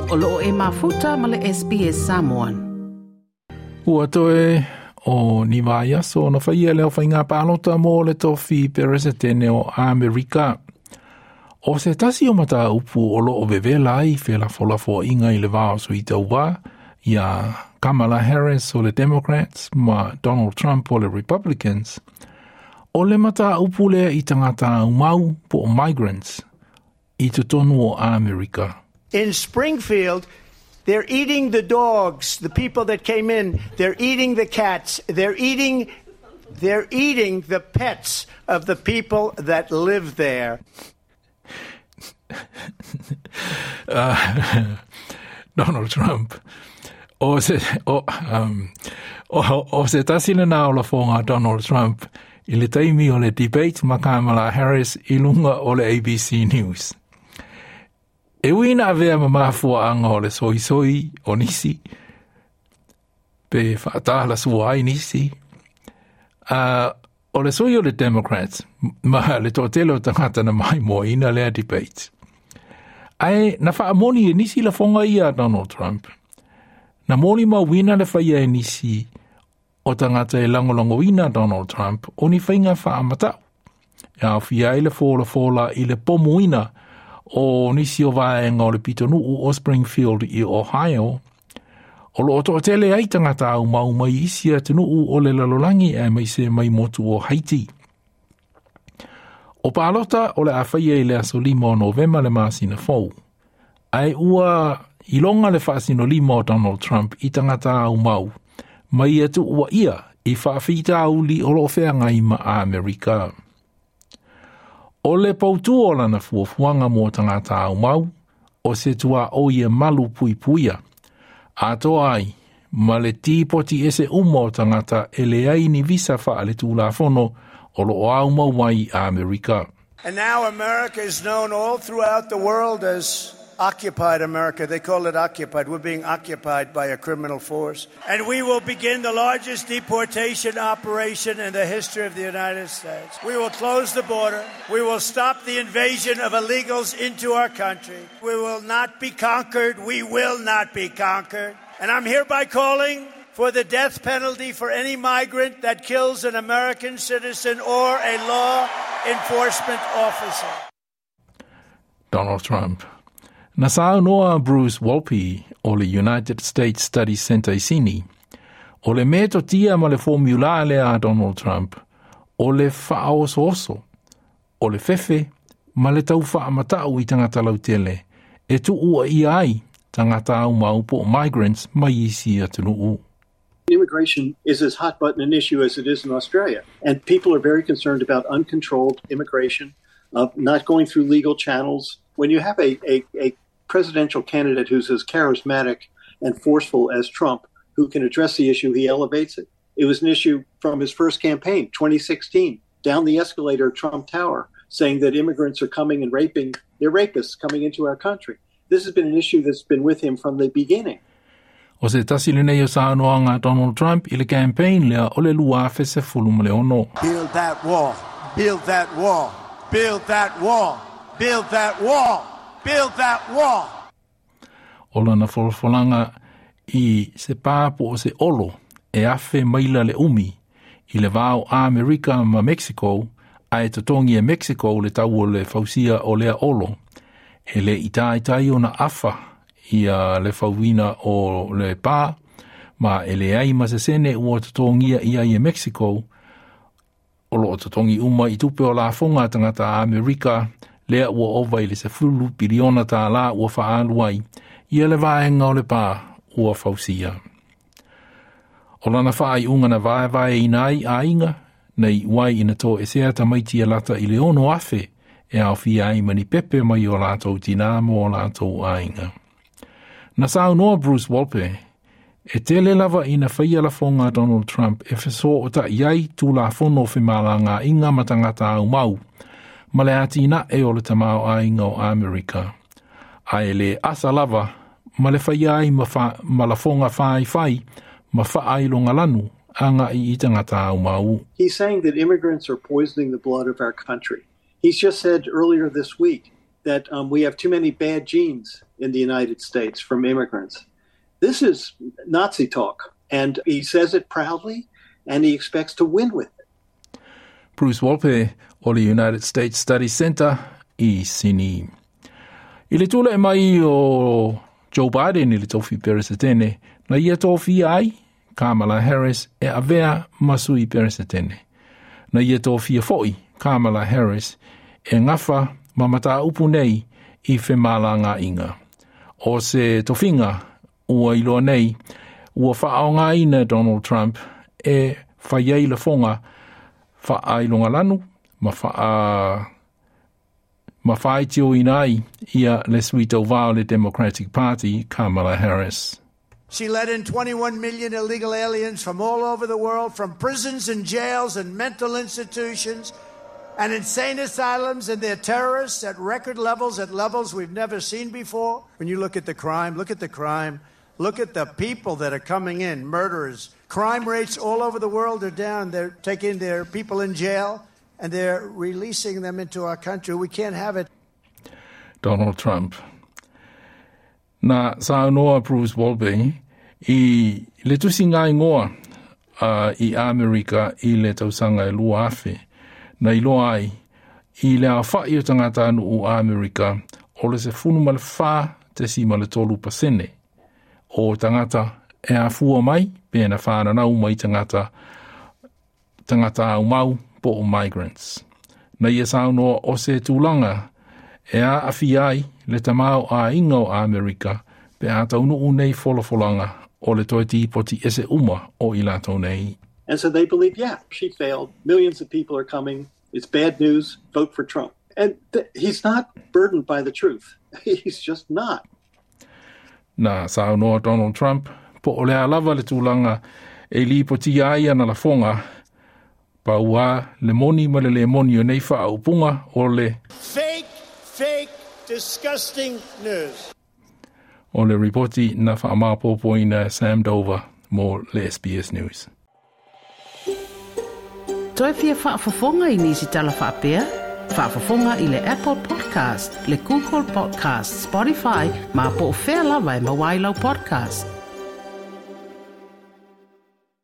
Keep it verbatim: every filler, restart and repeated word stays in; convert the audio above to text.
O loo e mafuta ma le S B S Samoan. Ua toe o ni vaiaso ona faia lea o faiga palota mo le tofi peresetene o Amerika. O se tasi o mataupu o loo vevela ai felafolafoaiga i le va o sui tauva ia Kamala Harris o le Democrats ma Donald Trump o le Republicans, o le mataupu lea i tagata aumau po o migrants i totonu o Amerika. In Springfield, they're eating the dogs, the people that came in, they're eating the cats, they're eating they're eating the pets of the people that live there. uh, Donald Trump. O se, o, um, o, o se tasi lena o lafoga a Donald Trump i le taimi o le debate ma Kamala Harris i luga o le A B C News. E ui ina avea ma mafuaanga o le soisoi o nisi, pe faatalasua ai nisi, uh, o le sui o le Democrats ma le toatele o tagata na maimoaina lea debate. Ae na faamoni e nisi lafoga ia a Donald Trump. Na molimauina le faia e nisi o tagata e lagolagoina Donald Trump o ni faiga faamatau e aofia ai le folafola i le pomuina o nisi o vaega o le pitonuu o Springfield i Ohio, o loo toatele ai tagata aumau mai isi atunuu o le lalolagi aemaise mai motu o Haiti. O palota o le a faia i le aso lima o Novema le masina fou. Ae ua iloga le faasinolima o Donald Trump i tagata aumau mai e tuuaia i faafitauli o loo feagai ma Amerika. O le pautū o lana fuafuaga mo tagata aumau, o se tuaoi e malupuipuia atoa ai ma le tipoti ese uma o tagata e leai ni visa faaletulafono o loo aumau ai Amerika. And now America is known all throughout the world as occupied America. They call it occupied. We're being occupied by a criminal force. And we will begin the largest deportation operation in the history of the United States. We will close the border. We will stop the invasion of illegals into our country. We will not be conquered. We will not be conquered. And I'm hereby calling for the death penalty for any migrant that kills an American citizen or a law enforcement officer. Donald Trump. Na saunoa Bruce Wolpe o le United States Studies Center i Sini, o le metotia ma le formula lea a Donald Trump, o le faaosooso, o le fefe, ma le tau faamatau i tagata lautele, e tuuaia ai tagata aumau po o migrants mai isi atunuu. Immigration is as hot button an issue as it is in Australia. And people are very concerned about uncontrolled immigration, uh, not going through legal channels. When you have a, a, a presidential candidate who's as charismatic and forceful as Trump, who can address the issue, he elevates it. It was an issue from his first campaign, twenty sixteen, down the escalator at Trump Tower, saying that immigrants are coming and raping, they're rapists coming into our country. This has been an issue that's been with him from the beginning. O se tasi lenei o saunoaga a Donald Trump i le campaign lea o le lua afe sefulu ma le ono. Build that wall. Build that wall. Build that wall. Build that wall. Build that wall. O lana folafolaga i se pā po o se olo e afe maila le umi i le va o Amerika ma Mexico, ae totogi e Mexico le tau o le fausia o lea olo. E le i taitai ona afa ia le fauina o le pā, ma e leai ma se sene ua totogia i ai e Mexico, o loo totogi uma i tupe o lafoga a tagata Amerika lea ua ova i le sefulu piliona tālā ua faaalu ai ia le vaega o le pā ua fausia. O lana faaiuga na vaevaeina ai aiga na iu ai ina toesea tamaiti e lata i le ono afe e aofia ai ma ni pepe mai o latou tinā ma o latou aiga. Na saunoa Bruce Wolpe, e tele lava ina faia lafoga a Donald Trump e fesootai ai tulafono o femalagaaiga ma tagata aumau, ma le atinae o le tamaoaiga o Amerika. Ae le asa lava, ma le faia ai ma, fa, ma lafoga faifai, ma faailogalanu, agai i tagata aumau. He's saying that immigrants are poisoning the blood of our country. He's just said earlier this week that um, we have too many bad genes. in the United States from immigrants. This is Nazi talk, and he says it proudly, and he expects to win with it. Bruce Wolpe o le United States Study Center i Sini. I le tula'i mai o Joe Biden i le tofi Peresetene, na ia tofia ai Kamala Harris e avea ma sui Peresetene. Na ia tofia fo'i Kamala Harris e gafa ma mataupu nei i femalagaaiga. O se tofiga ua iloa nei, ua faaaogaina Donald Trump e fai ai lafoga faailogalanu ma faa ma faitioina ai ia le sui tauvā o le Democratic Party Kamala Harris. She let in twenty-one million illegal aliens from all over the world, from prisons and jails and mental institutions and insane asylums, and they're terrorists at record levels, at levels we've never seen before. When you look at the crime, look at the crime. Look at the people that are coming in, murderers. Crime rates all over the world are down. They're taking their people in jail and they're releasing them into our country. We can't have it. Donald Trump. Na saunoa Bruce Wolpe i le tusiga igoa uh, i Amerika i le tausaga e lua afe, na iloa ai i le aofa'i o tagatanuu Amerika o le sefulu ma le fā tesima le tolu pasene o tagata e afua mai pe na whananau mai tagata tagata aumau po o migrants. Na ia saunoa o se tulaga e aafia ai le tamaoaiga o Amerika pe a taunuu nei folafolaga o le toe tipoti ese uma o i latou nei. And so they believe, yeah, she failed. Millions of people are coming. It's bad news. Vote for Trump. And th- he's not burdened by the truth. He's just not. Na saunoa Donald Trump po o le a lava le tulaga e lipotia ai ana lafoga pauā le moni ma le le moni o nei faaupuga o le fake, fake, disgusting news. O le ripoti na faamaopoopoina Sam Dover mo le S B S News. Toe fia faafofoga i nisi tala faapea? Faafofoga i le Apple Podcast, le Google Podcast, Spotify, ma po o fea lava e maua ai lau podcast.